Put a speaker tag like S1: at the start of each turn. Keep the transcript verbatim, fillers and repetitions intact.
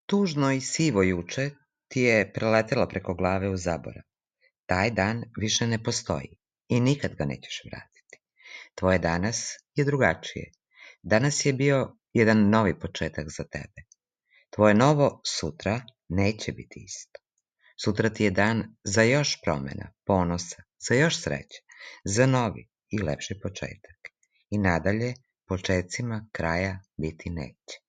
S1: Tužno i sivo juče ti je preletelo preko glave u zaborav. Taj dan više ne postoji i nikad ga nećeš vratiti. Tvoje danas je drugačije. Danas je bio jedan novi početak za tebe. Tvoje novo sutra neće biti isto. Sutra ti je dan za još promjena, ponosa, za još sreće, za novi i lepši početak. I nadalje počecima kraja biti neće.